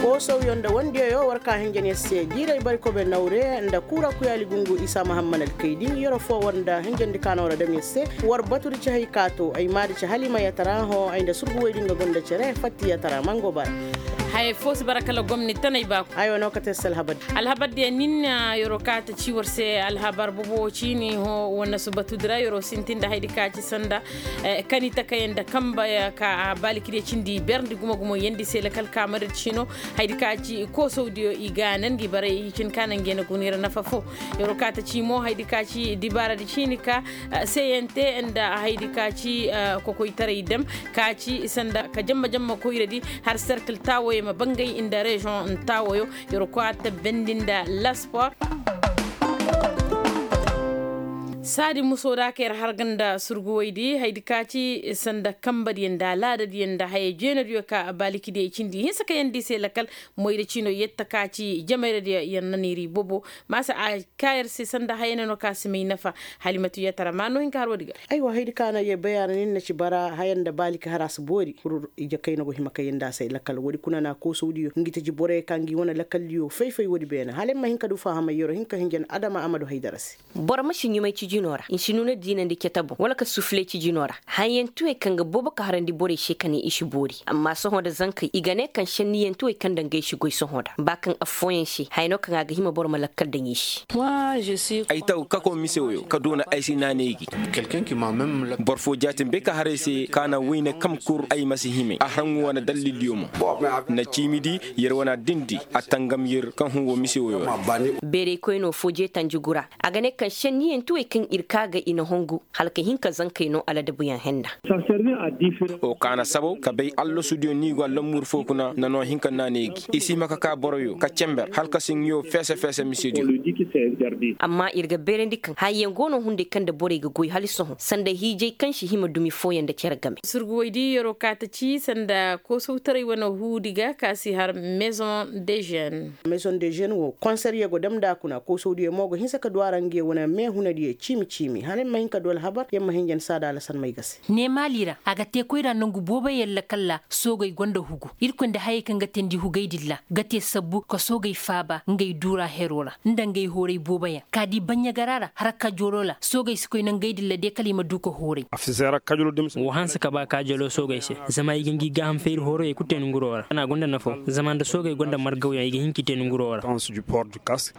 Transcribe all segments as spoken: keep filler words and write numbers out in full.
Koosawyo nda wandiyayo war ka hinjan yer se diiray bari kobe nawre nda kuura kuyaali gungu isa mahamman alkaydi, yeroo foo war nda hinjandi ka no ra dam yer se. War batudi ci hay ka to ay maadi ci halima yatara hõ ay nda surgu woydi nga gonda cere fatti yatara mango bara. Haya foo si bara kala gomni tanay baaku. Ay wanoo kate se alhabar. Alhabar diya nin yeroo ka ta ci war se alhabar bobo ciini hõ wane su batudi ra yeroo sintin nda haydi ka ci sanda kani takay nda kamba ka baalikide cindi berndi gumo gumo yandi se lakal kaamari ciino. Haydi ka ci koosawdiyo i ga nan gi baray i cin ka nan gi na guna yer nafa foo. Yeroo ka ta ci mo haydi ka ci dibaaradi ciini ka seyante nda haydi ka ci kokoytaray dam ka ci sanda ka jamma jamma koyradi har serkil taawoyo ma bangay nda reziyoŋ taawoyo. Yeroo ka ta bendi nda laspor. Saadi musoo da ka yer harga nda surguwaydi haydi ka ci sanda kambadiyo nda alaadadiyo nda haya jeenadiyo ka baalikidiyey cindi hinsa ka yandi se lakal. Moyra ciino yetta ka ci jamayradiyo yer na neeri bobo. Maasa a ka yer se sanda hayana no ka si may nafa. Halimatu yatara ma no hin ka har woodi ga. Aywa haydi ka na ye bayaana nin na ci bara haya nda baaliki har a si boori kul. Ije kayna go hima ka yandi a se lakal woodi kuna na koosawdiyo ngi taji boroyo ka ngi wane lakaldiyo fay-fay woodi beene hala ay ma hin ka du fahamay yeroo hin ka hinjan adama a ma du haydara se. Boro ma si ɲumay cijinoo ra nsi nuuna diinandi cata boŋ wala ka sufulay cijinoo ra. Hayyantuwey kaŋ ga boobo ka harandi borey se ka ne i si boori amma sohõ nda zankey i ga ne kaŋ senniyantuwey kaŋ nda ngey si goy sohõ nda ba kaŋ affooyaŋ se haya no kaŋ a ga hima boro ma lakkal daŋ i se. Ay taw kako mise woyo ka doona ay si naanay gi. Boro foo jaatin bay ka har ay se ka na wayne kam kur ay ma si himay a har nga wane dallildiyo mo. Na ciimi di yer wane addindi a tangam yer kaŋ hun woo mise woyo ra. Beerey koynoo foo jeetanji gura. A ga ne kaŋ senniyantuwey kaŋ ir kaa ga i na hongu hala ka hin ka zankey noo aladabuyaŋ henna. Woo kaana sabaw ka bay allasudiyo ni go allamuur foo kuna na noo hin ka naanay gi i si hima ka kaa boroyo ka cember hala ka si nga yoo feese-feese misediyo. Amma ir ga beerandi kaŋ hayyaŋ go no hunday kaŋ nda borey ga goy hala sohõ sanda hiijay kaŋ si hima dumi fooyaŋ nda cere game. Surguwey di yeroo kaa ta ci sanda koosawtaray wane huudi ga ka si har maison de jeune. Maison de jeune woo konserye go dam nda a kuna koosawdiyo mo go hinsa ka du a ra nge wane meehunadiyo ciimi-ciimi hala ay ma hin ka du alhabar yer ma hinja ni saada alasan may ga se. Ne maali ra a ga te koyra nangu booboyaŋ lakal ra soogey gonda hugu irkoy nda hayey kaŋ ga teendi hugey din ra ga te sabbu ka soogey faaba ngey duura heroo ra nda ngey hooray booboyaŋ ka di baɲɲagara ra harakka joroo ra soogey si koy nangey din ra de kala i ma du ka hooray. Woo hanse ka ba ka jalo soogey se zama i ga ngi gaaham feeri hooroyey kul te nanguroo ra a na gonda nafoo zama nda soogey gonda margawyaŋ i ga hin k'i te nanguroo ra.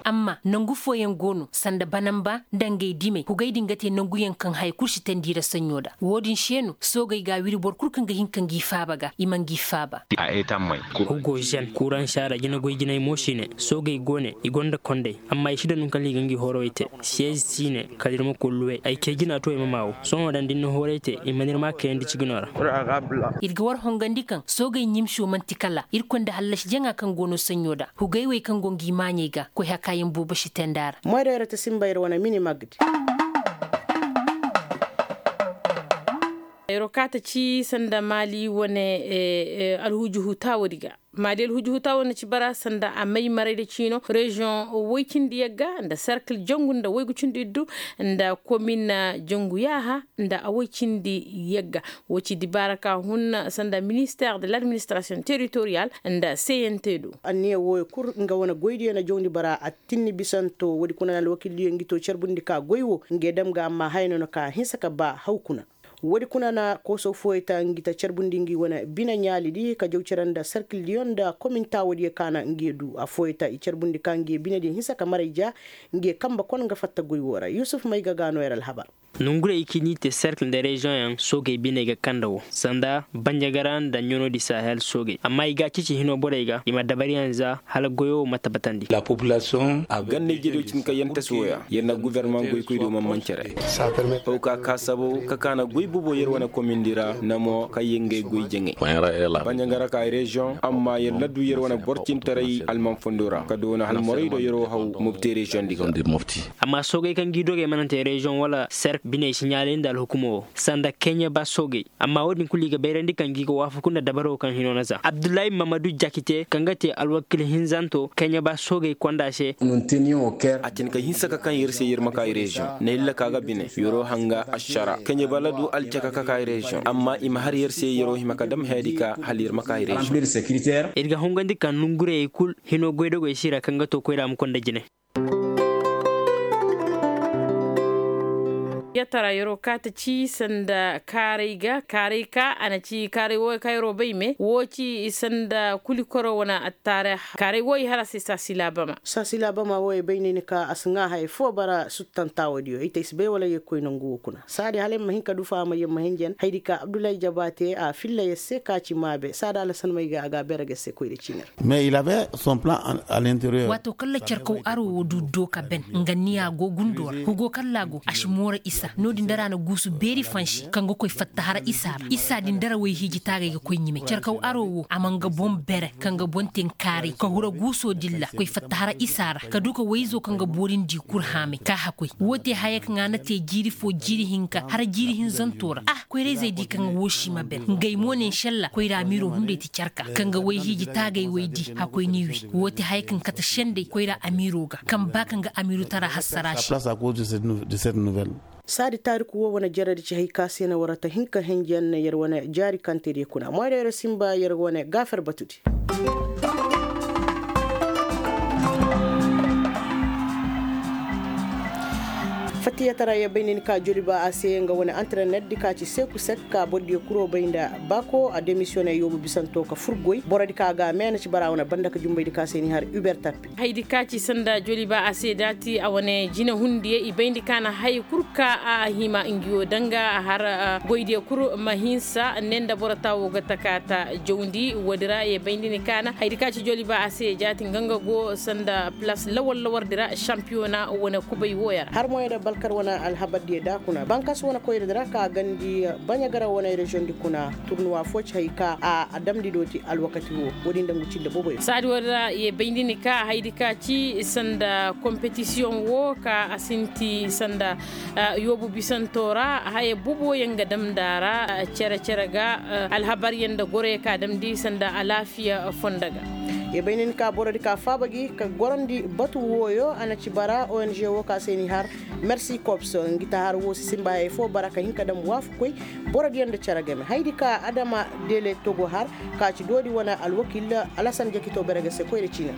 Amma nangu fooyaŋ go no sanda banamba nda ngey dimey hugey din ga te nanguyaŋ kaŋ haya kul si teendi i ra saɲɲo nda woo din se no soogey ga a wiri boro kul kaŋ ga hin ka ngi faaba ga i ma ngi faaba. Hugo zen kuransa ra jinagoy jinay mo si ne soogey go ne i gonda kondey amma i si daŋ no kala i ga ngi hoorowey te. Siyez si ne kala ir ma koy luwe ay cee jina to ay ma maa woo sohõ daŋ da ir na hooray te i mana ir maa kayandi ciginoo ra. Ir ga war hongandi kaŋ soogey ɲimsiyo man'ti kala irkoy nda hallasi jaŋa kaŋ go no saɲɲo nda hugey wey kaŋ go ngi maaɲey ga koy hakaayaŋ boobo si teendi a ra. Moyra yer ta sinba yer wane mini magdi. Yeroo kaa ta ci sanda maali wane alhujuhu taawoodi ga. Maadi alhuji huta wo na ci bara sanda a may marayda ciino reziyoŋ woy cindi yagga nda serkil jangu nda woygu cindi iddu nda komin jangu yaaha nda a woy cindi yagga. Wo ci dibaara ka hun sanda minister de l'administration territorial nda cnt do. Anniya wooyo kul nga wane goydiyo na jawndi bara a tinni bisanto woodi kuna na alwakildiyo ngi to carbundi ka goy wo nge dam ga amma haya no na ka hinsa ka ba haw kuna. Woodi kuna na kooso fooyey ta ngi ta carbundi ngi wane bine ɲaalidi ka jaw cere nda serkildiyo nda komin taawoodiyo ka na ngi ye du affooyey ta i carbundi ka ngi ye binediyo hinsa ka maray ja. Ngi ye kambe kon nga fatta goy woo ra yusuf mayga ga no yer alhabar. Nongurey i k'i n'i te serkil nda reziyoŋyaŋ soogey biney ga kanda woo sanda banjagara nda ɲanoodi sahel soogey amma i ga a ceeci hinoo borey ga i ma dabariyaŋ za hala goyo wo ma tabatandi. Ganda ijediyo cin ka yantasi wooya yer na gofornamaŋ goykoydiyo man man cere. Haw ka ka sabaw ka kaana goy bobo yer wane komindi ra na mo kaŋ yer ngey goy jaŋay. Banjangara ka reziyoŋ amma yer na du yer wane boro cintaray alman fondo ra ka doona hala moraydo yeroo haw mobti reziyoŋ di ga. Amma soogey kaŋ g'i dogey mana te reziyoŋ wala serk biney si ɲaalaynda alhukumo wo sanda keɲeba soogey. Amma woodin kulu i ga bayrandi kaŋ gi ga waafaku nda dabaro kaŋ hino na za abdullahi mamadu jakite kaŋ ga te alwakil hinzanto kaŋ ya ba soogey konda se. A tin ka hinsa ka kaŋ yer se yer ma ka reziyoŋ na illa ka ga bine yero hanga ašara kaŋ ya ba ladu. Alcaka ka ka ay reziyoŋ amma i ma har yer se yeroo hima ka dam hayadi ka hala yer ma ka ay reziyoŋ. Ir ga hungandi ka nongurayey kul hinoo goydogey si ra kaŋ ga too koyra ma konda jine. Yatara yeroo kaati ci sanda kaaray ga kaaray ka a na ci kaaray wooyo ka yeroo bay me woo ci sanda kulikoro wane attaare. Kaaray wooyo har a se saasi laabama. Saasi laabama wooyo bay ne ni ka a si ŋaa haya foo bara suttantaa woodiyo ay te ay si bay wala yee koy nongu woo kuna saadi hala ay ma hin ka dufa a ma yee ma hinjan hayadi ka abdullahi jabaate a filla yer se ka ci maabe saadi alasan may ga a ga a beere ga yer se koyra ciini ra. Mais il avait son plan à l'interieur. Waato kaŋ la carkaw aro woo du dooka ben nga niya go gundoo ra hugo kaŋ laa go a si moora isa no-din dara na guusu beeri fansi kaŋ ga koy fatta hara isa ra isa din dara woy hiiji taagay ga koy ɲime carkaw aro woo a ma nga boŋ bere kaŋ ga boŋ te nkaaray ka hura guusoo din ra koy fatta hara isa ra ka du ka woy-izo kaŋ ga boorindi kul haamay ka hakoy woo te haya kaŋ a na te jiiri foo jiiri hinka hara jiiri hinzantoo ra ah koyra-izey di kaŋ ga woo si ma ben ngey mo ne nšalla koyra amiiroo hunday ti carka kaŋ ga woy hiiji taagay woy di hakoy ni wi woo ti haya kaŋ kate sendey koyra amiiroo ga kaŋ ba kaŋ ga amiiru tara hassara se. Saadi taariku woo wane jaradi ci hay ka se na war ta hin ka henjen yer wane jaari kaŋ te diya kuna moyra yer sinba yer wane gaafer batudi. Fattiyataray ya bay nda ni ka joliba a se nga wane anterener di ka ci seku sek ka boro diyo kuro bay nda bako a demisiyone yoobu bisanto ka fur goy boro di ka ga a meena ci bara wane banda ka jumbay di ka se ni har uber tapi. Haydi ka ci sanda joliba a se daati a wane jine hundiye i bay nda ka na hay kul ka a hima ngiyo danga har goydiye kul ma hinsa ne nda boro taawo ga taka ta jawndi woodi ra ye bay nda ni ka na haydi ka ci joliba a se jaati nga nga go sanda plas lawar lawar di ra sampiyona wane kubay wooya ra har moyey da balkar wane alhabar diyo da kuna bankas wane koyra di ra ka gandi baɲagara wane reziyoŋ di kuna turnuwa fo ci hay ka a damndi dooti alwakati woo woodi nda ngu cille boboyo saadi woodi ra ye bay nda ni ka haydi ka ci sanda kompetisiyoŋ woo ka a sinti sanda yoobu bisanto ra haya boboyaŋ ga damndi a ra cere cere ga alhabaryaŋ nda goroyaŋ ka damndi sanda alaafiya fonda ga. Ye bay nda ni ka boro di ka faaba gi ka gorandi batu wooyo a na ci bara ong woo ka se ni har mersi kops ngi ta har woo si sinba hayey foo bara ka hin ka dam waafakoy boro diyaŋ nda cere game haydi ka adama dele togo har ka ci doodi wane alwakiil alasan jakito bere ga se koyra ciina.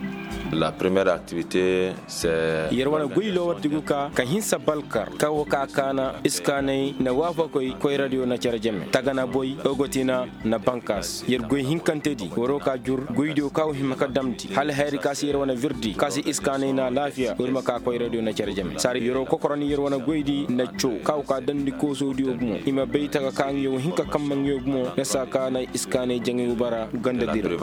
La première activité c'est yer wane goy loowardi go ka ka hinsa balkar ka wo ka kaana iskaanay na waafakoy koyradiyo na cere jame tagana boy ogotina na bankas yer goy hinkantedi waroo ka jur goydiyo ka wo hima ka damndi hala hayadi ka se yer wane virdi ka se iskaanay na alaafiya wo di ma ka koyradiyo na cere jame saadi yeroo kokorandi yer wane goydi na coo ka wo ka damndi koosoodiyo gumo i ma bay taga ka ngiyo wo hin ka kamma ngiyo gumo na saa ka na iskaanay jaŋay wo bara ganda dira.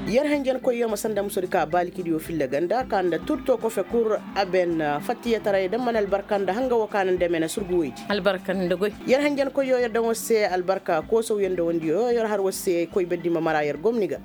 Yer henjenkoyyo ma sanda musodi ka baalikidiyo filla ganda ka nda turto kofe kul a ben fattiyataray da mana albarka nda hanga woo ka na nda mena surgu woydi albarka nda goy yer henjenkoyyo yer daŋ war se albarka koosow yer nda wandiyo yer har war se koy beddi ma mara yer gomni ga.